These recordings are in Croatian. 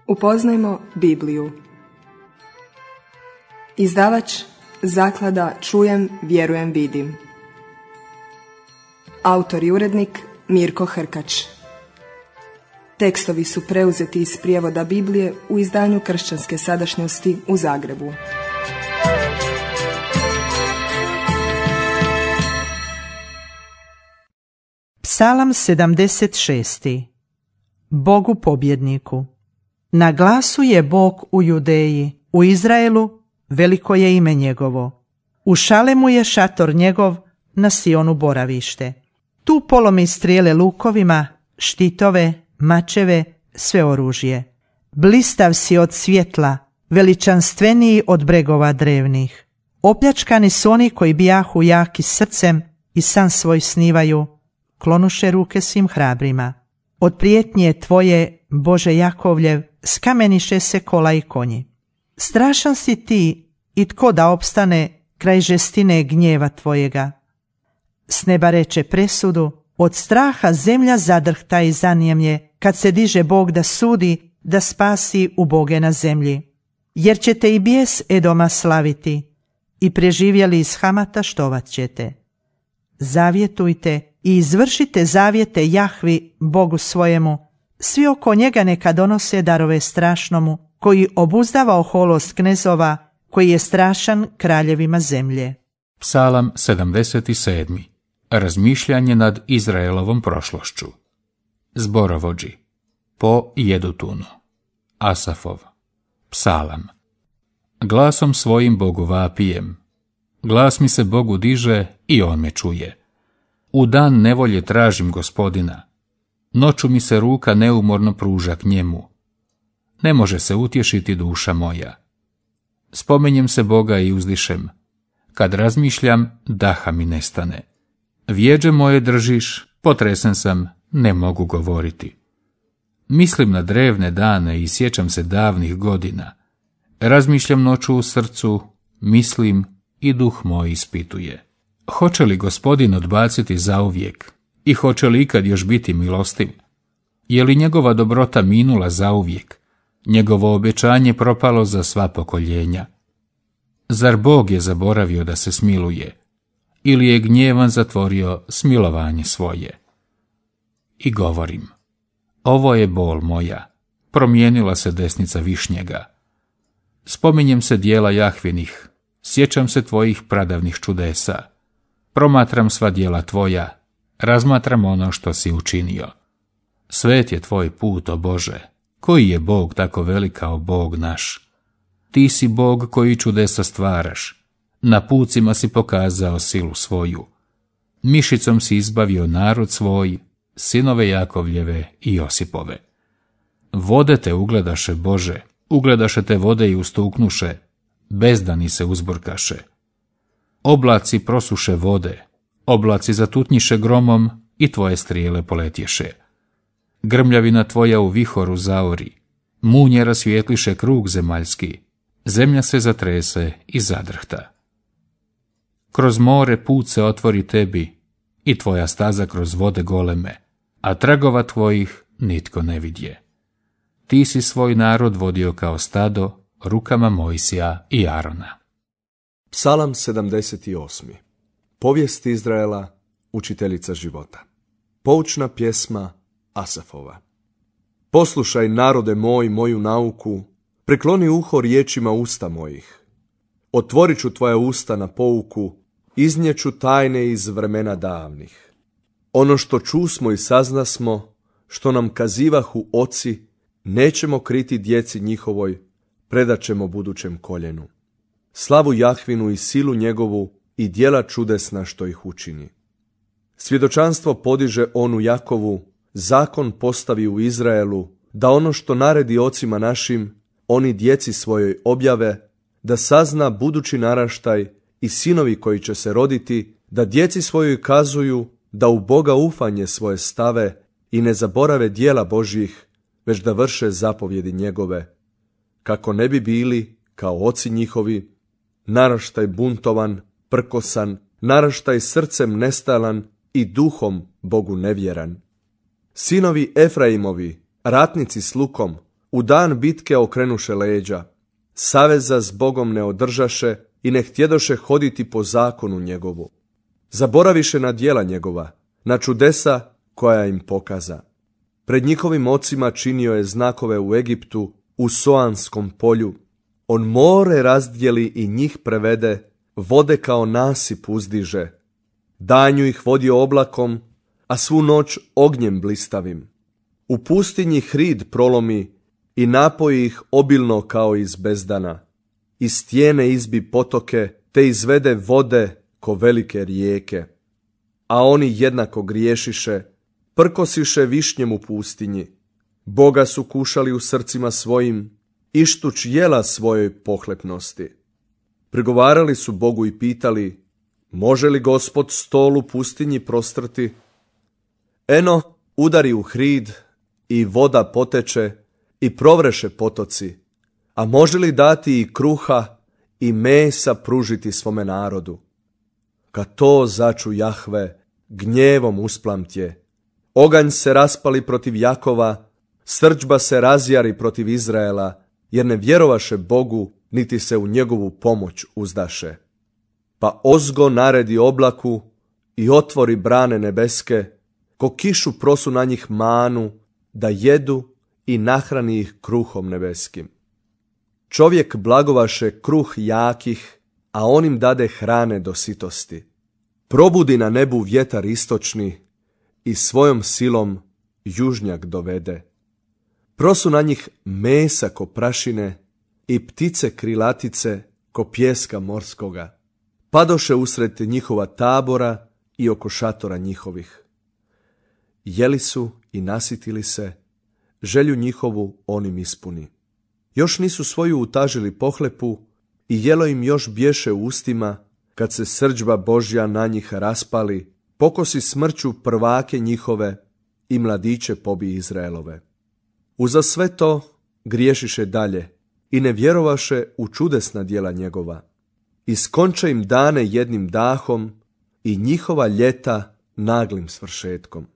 Upoznajmo Bibliju. Izdavač Zaklada Čujem, vjerujem, vidim. Autor i urednik Mirko Hrkač. Tekstovi su preuzeti iz prijevoda Biblije u izdanju Kršćanske sadašnjosti u Zagrebu. Psalam 76. Bogu pobjedniku. Na glasu je Bog u Judeji, u Izraelu veliko je ime njegovo. U Šalemu je šator njegov, na Sionu boravište. Tu polomi strijele lukovima, štitove, mačeve, sve oružje. Blistav si od svjetla, veličanstveniji od bregova drevnih. Opljačkani su oni koji bijahu jaki srcem i san svoj snivaju, klonuše ruke svim hrabrima. Od prijetnje tvoje, Bože Jakovljev, skameniše se kola i konji. Strašan si ti i tko da opstane kraj žestine gnjeva tvojega. S neba reče presudu, od straha zemlja zadrhta i zanijemlje, kad se diže Bog da sudi, da spasi uboge na zemlji. Jer ćete i bijes Edoma slaviti, i preživjeli iz Hamata štovat ćete. Zavjetujte i izvršite zavjete Jahvi, Bogu svojemu, svi oko njega neka donose darove strašnomu, koji obuzdava oholost knezova, koji je strašan kraljevima zemlje. Psalam 77. Razmišljanje nad Izraelovom prošlošću. Zborovođi. Po Jedutunu. Asafov. Psalam. Glasom svojim Bogu vapijem. Glas mi se Bogu diže i on me čuje. U dan nevolje tražim Gospodina. Noću mi se ruka neumorno pruža k njemu. Ne može se utješiti duša moja. Spomenjem se Boga i uzdišem. Kad razmišljam, daha mi nestane. Vjeđe moje držiš, potresen sam, ne mogu govoriti. Mislim na drevne dane i sjećam se davnih godina. Razmišljam noću u srcu, mislim i duh moj ispituje. Hoće li Gospodin odbaciti zauvijek i hoće li ikad još biti milostiv? Je li njegova dobrota minula zauvijek, njegovo obećanje propalo za sva pokoljenja? Zar Bog je zaboravio da se smiluje, ili je gnjevan zatvorio smilovanje svoje? I govorim, ovo je bol moja, promijenila se desnica višnjega. Spominjem se dijela Jahvinih, sjećam se tvojih pradavnih čudesa. Promatram sva djela tvoja, razmatram ono što si učinio. Svet je tvoj put, o Bože, koji je Bog tako velik kao Bog naš. Ti si Bog koji čudesa stvaraš, na pucima si pokazao silu svoju. Mišicom si izbavio narod svoj, sinove Jakovljeve i Josipove. Vode te ugledaše, Bože, ugledaše te vode i ustuknuše, bezdani se uzburkaše. Oblaci prosuše vode, oblaci zatutnjiše gromom i tvoje strijele poletješe. Grmljavina tvoja u vihoru zaori, munje rasvijetliše krug zemaljski, zemlja se zatrese i zadrhta. Kroz more put se otvori tebi i tvoja staza kroz vode goleme, a tragova tvojih nitko ne vidje. Ti si svoj narod vodio kao stado rukama Mojsija i Arona. Psalam 78. Povijest Izraela, učiteljica života. Poučna pjesma Asafova. Poslušaj, narode moj, moju nauku, prikloni uho riječima usta mojih. Otvorit ću tvoja usta na pouku, iznijeću tajne iz vremena davnih. Ono što čusmo i saznasmo, što nam kazivahu oci, nećemo kriti djeci njihovoj, predat ćemo budućem koljenu. Slavu Jahvinu i silu njegovu i djela čudesna što ih učini. Svjedočanstvo podiže on u Jakovu, zakon postavi u Izraelu, da ono što naredi ocima našim, oni djeci svojoj objave, da sazna budući naraštaj i sinovi koji će se roditi, da djeci svojoj kazuju, da u Boga ufanje svoje stave i ne zaborave djela Božjih, već da vrše zapovjedi njegove, kako ne bi bili kao oci njihovi, naraštaj buntovan, prkosan, naraštaj srcem nestalan i duhom Bogu nevjeran. Sinovi Efraimovi, ratnici s lukom, u dan bitke okrenuše leđa, saveza s Bogom ne održaše i ne htjedoše hoditi po zakonu njegovu. Zaboraviše na djela njegova, na čudesa koja im pokaza. Pred njihovim ocima činio je znakove u Egiptu, u Soanskom polju. On more razdjeli i njih prevede, vode kao nasip uzdiže. Danju ih vodio oblakom, a svu noć ognjem blistavim. U pustinji hrid prolomi i napoji ih obilno kao iz bezdana. Iz stijene izbi potoke, te izvede vode ko velike rijeke. A oni jednako griješiše, prkosiše višnjem u pustinji. Boga su kušali u srcima svojim, ištuć jela svojoj pohlepnosti. Prigovarali su Bogu i pitali, može li Gospod stol u pustinji prostrti? Eno, udari u hrid i voda poteče i provreše potoci, a može li dati i kruha i mesa pružiti svome narodu? Kad to začu Jahve, gnjevom usplamtje, oganj se raspali protiv Jakova, srdžba se razjari protiv Izraela, jer ne vjerovaše Bogu, niti se u njegovu pomoć uzdaše. Pa ozgo naredi oblaku i otvori brane nebeske, ko kišu prosu na njih manu, da jedu i nahrani ih kruhom nebeskim. Čovjek blagovaše kruh jakih, a on im dade hrane do sitosti. Probudi na nebu vjetar istočni i svojom silom južnjak dovede. Prosu na njih mesa ko prašine i ptice krilatice ko pjeska morskoga. Padoše usred njihova tabora i oko šatora njihovih. Jeli su i nasitili se, želju njihovu on im ispuni. Još nisu svoju utažili pohlepu i jelo im još bješe u ustima, kad se srdžba Božja na njih raspali, pokosi smrću prvake njihove i mladiće pobi Izraelove. Uza sve to griješiše dalje i ne vjerovaše u čudesna djela njegova. Iskonče im dane jednim dahom i njihova ljeta naglim svršetkom.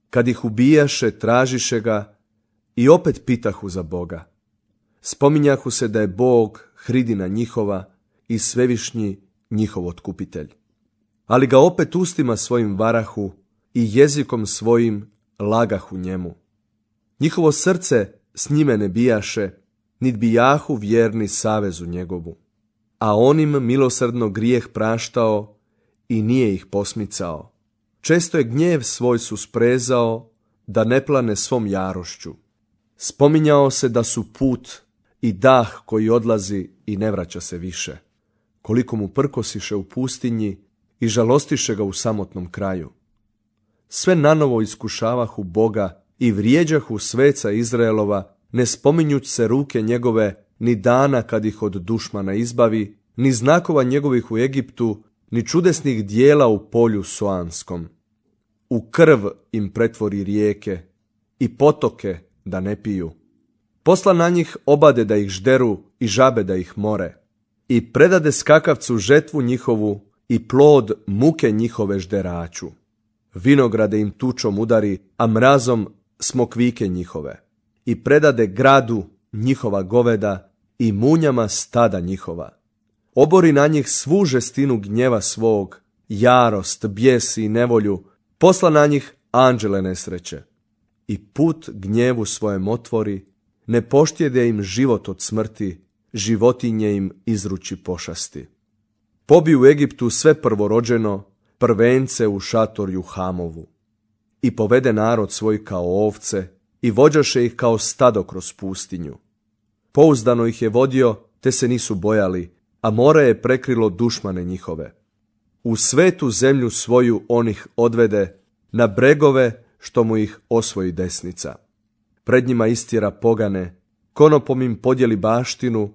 Kad ih ubijaše, tražiše ga i opet pitahu za Boga. Spominjahu se da je Bog hridina njihova i svevišnji njihov otkupitelj. Ali ga opet ustima svojim varahu i jezikom svojim lagahu njemu. Njihovo srce s njime ne bijaše, nit bijahu vjerni savezu njegovu. A on im milosrdno grijeh praštao i nije ih posmicao. Često je gnjev svoj susprezao, da ne plane svom jarošću. Spominjao se da su put i dah koji odlazi i ne vraća se više. Koliko mu prkosiše u pustinji i žalostiše ga u samotnom kraju. Sve nanovo iskušavahu Boga i vrijeđahu sveca Izraelova, ne spominjuć se ruke njegove, ni dana kad ih od dušmana izbavi, ni znakova njegovih u Egiptu, ni čudesnih dijela u polju Soanskom. U krv im pretvori rijeke i potoke da ne piju. Posla na njih obade da ih žderu i žabe da ih more. I predade skakavcu žetvu njihovu i plod muke njihove žderaču. Vinograde im tučom udari, a mrazom smokvike njihove. I predade gradu njihova goveda i munjama stada njihova. Obori na njih svu žestinu gnjeva svog, jarost, bijes i nevolju, posla na njih anđele nesreće. I put gnjevu svojem otvori, ne poštjede im život od smrti, životinje im izruči pošasti. Pobi u Egiptu sve prvorođeno, prvence u šatorju Hamovu. I povede narod svoj kao ovce i vođaše ih kao stado kroz pustinju. Pouzdano ih je vodio, te se nisu bojali, a more je prekrilo dušmane njihove. U svetu zemlju svoju on ih odvede, na bregove što mu ih osvoji desnica. Pred njima istjera pogane, konopom im podijeli baštinu,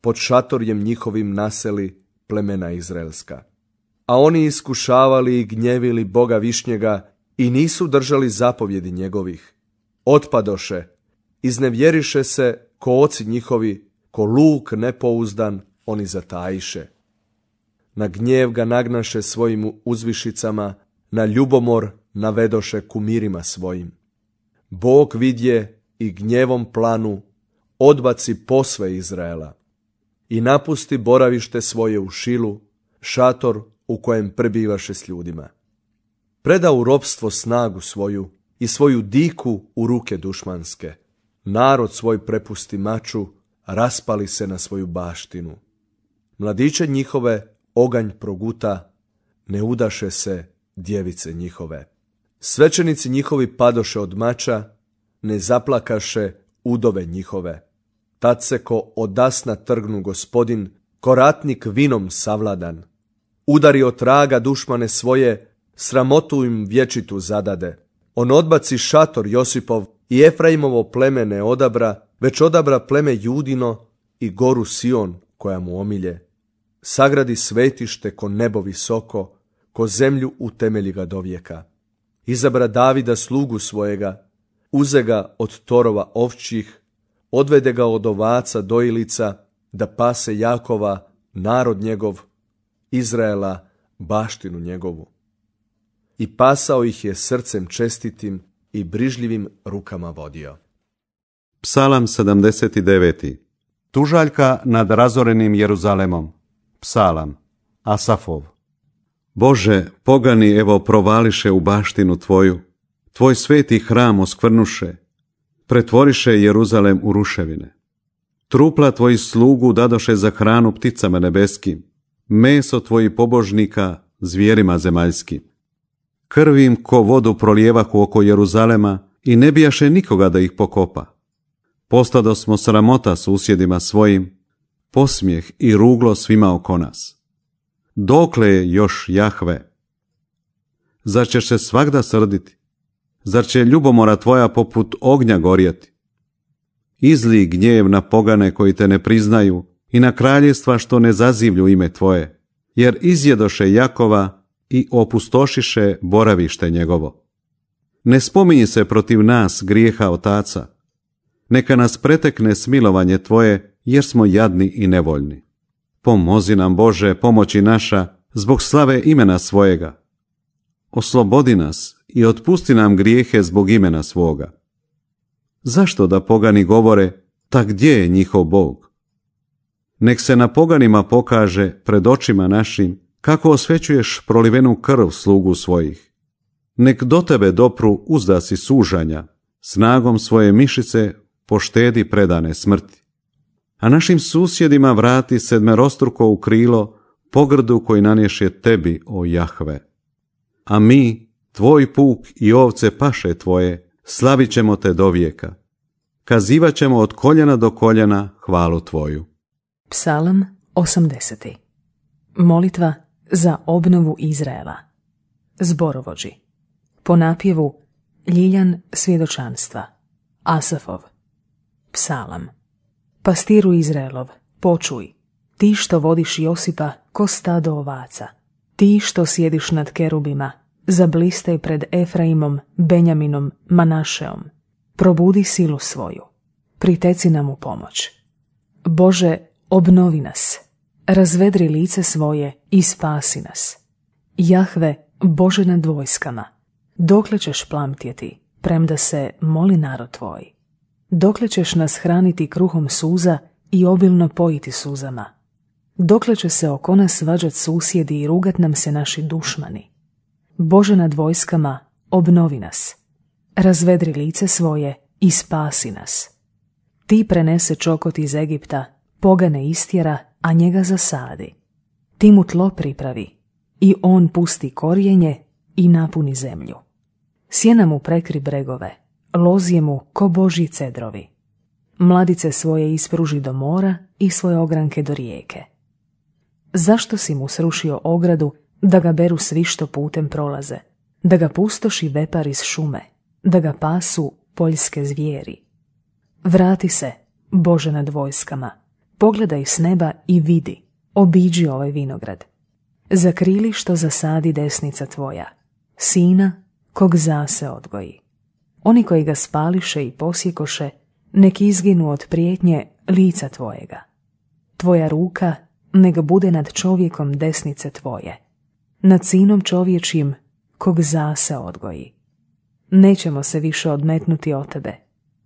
pod šatorjem njihovim naseli plemena izraelska. A oni iskušavali i gnjevili Boga višnjega i nisu držali zapovjedi njegovih. Otpadoše, iznevjeriše se ko oci njihovi, ko luk nepouzdan, oni zatajiše. Na gnjev ga nagnaše svojim uzvišicama, na ljubomor navedoše kumirima svojim. Bog vidje i gnjevom planu odbaci posve Izraela i napusti boravište svoje u Šilu, šator u kojem prebivaše s ljudima. Preda u ropstvo snagu svoju i svoju diku u ruke dušmanske. Narod svoj prepusti maču, raspali se na svoju baštinu. Mladiće njihove oganj proguta, ne udaše se djevice njihove. Svećenici njihovi padoše od mača, ne zaplakaše udove njihove. Tad se ko odasna trgnu Gospodin, ko ratnik vinom savladan. Udari od traga dušmane svoje, sramotu im vječitu zadade. On odbaci šator Josipov i Efraimovo pleme ne odabra, već odabra pleme Judino i goru Sion koja mu omilje. Sagradi svetište ko nebo visoko, ko zemlju utemelji ga dovijeka. Izabra Davida slugu svojega, uze ga od torova ovčjih, odvede ga od ovaca dojilica, da pase Jakova, narod njegov, Izraela, baštinu njegovu. I pasao ih je srcem čestitim i brižljivim rukama vodio. Psalam 79. Tužaljka nad razorenim Jeruzalemom. Psalam Asafov. Bože, pogani evo provališe u baštinu Tvoju, Tvoj sveti hram oskvrnuše, pretvoriše Jeruzalem u ruševine. Trupla Tvojih slugu dadoše za hranu pticama nebeskim, meso Tvojih pobožnika zvijerima zemaljskim. Krvim ko vodu prolijevahu oko Jeruzalema i ne bijaše nikoga da ih pokopa. Postado smo sramota susjedima svojim, posmijeh i ruglo svima oko nas. Dokle je još Jahve? Zar ćeš se svagda srditi? Zar će ljubomora Tvoja poput ognja gorjeti? Izli gnjev na pogane koji te ne priznaju i na kraljevstva što ne zazivlju ime Tvoje, jer izjedoše Jakova i opustošiše boravište njegovo. Ne spominji se protiv nas grijeha otaca. Neka nas pretekne smilovanje Tvoje, jer smo jadni i nevoljni. Pomozi nam, Bože, pomoći naša, zbog slave imena svojega. Oslobodi nas i otpusti nam grijehe zbog imena svoga. Zašto da pogani govore, ta gdje je njihov Bog? Nek se na poganima pokaže pred očima našim, kako osvećuješ prolivenu krv slugu svojih. Nek do tebe dopru uzdasi sužanja, snagom svoje mišice poštedi predane smrti. A našim susjedima vrati sedmerostruko u krilo pogrdu koji nanješe tebi, o Jahve. A mi, tvoj puk i ovce paše tvoje, slavit ćemo te do vijeka. Kazivat ćemo od koljena do koljena hvalu tvoju. Psalam 80. Molitva za obnovu Izraela. Zborovođi. Po napjevu Ljiljan svjedočanstva. Asafov. Psalam. Pastiru Izraelov, počuj, ti što vodiš Josipa ko stado ovaca, ti što sjediš nad kerubima, zablistaj pred Efraimom, Benjaminom, Manašeom. Probudi silu svoju, priteci nam u pomoć. Bože, obnovi nas, razvedri lice svoje i spasi nas. Jahve, Bože nad vojskama, dokle ćeš plamtjeti, premda se moli narod tvoj? Dokle ćeš nas hraniti kruhom suza i obilno pojiti suzama? Dokle će se oko nas svađat susjedi i rugat nam se naši dušmani? Bože nad vojskama, obnovi nas, razvedri lice svoje i spasi nas. Ti prenese čokot iz Egipta, pogane istjera, a njega zasadi. Ti mu tlo pripravi i on pusti korijenje i napuni zemlju. Sjena mu prekri bregove, lozije mu ko božji cedrovi. Mladice svoje ispruži do mora i svoje ogranke do rijeke. Zašto si mu srušio ogradu da ga beru svi što putem prolaze, da ga pustoši vepar iz šume, da ga pasu poljske zvijeri? Vrati se, Bože nad vojskama, pogledaj s neba i vidi, obiđi ovaj vinograd. Zakrili što zasadi desnica tvoja, sina kog zase odgoji. Oni koji ga spališe i posjekoše, nek izginu od prijetnje lica tvojega. Tvoja ruka nek bude nad čovjekom desnice tvoje, nad sinom čovječim kog zase odgoji. Nećemo se više odmetnuti od tebe.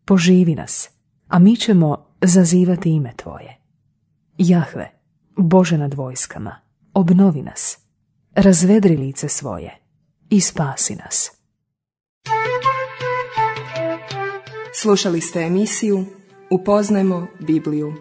Poživi nas, a mi ćemo zazivati ime tvoje. Jahve, Bože nad vojskama, obnovi nas, razvedri lice svoje i spasi nas. Slušali ste emisiju Upoznajmo Bibliju.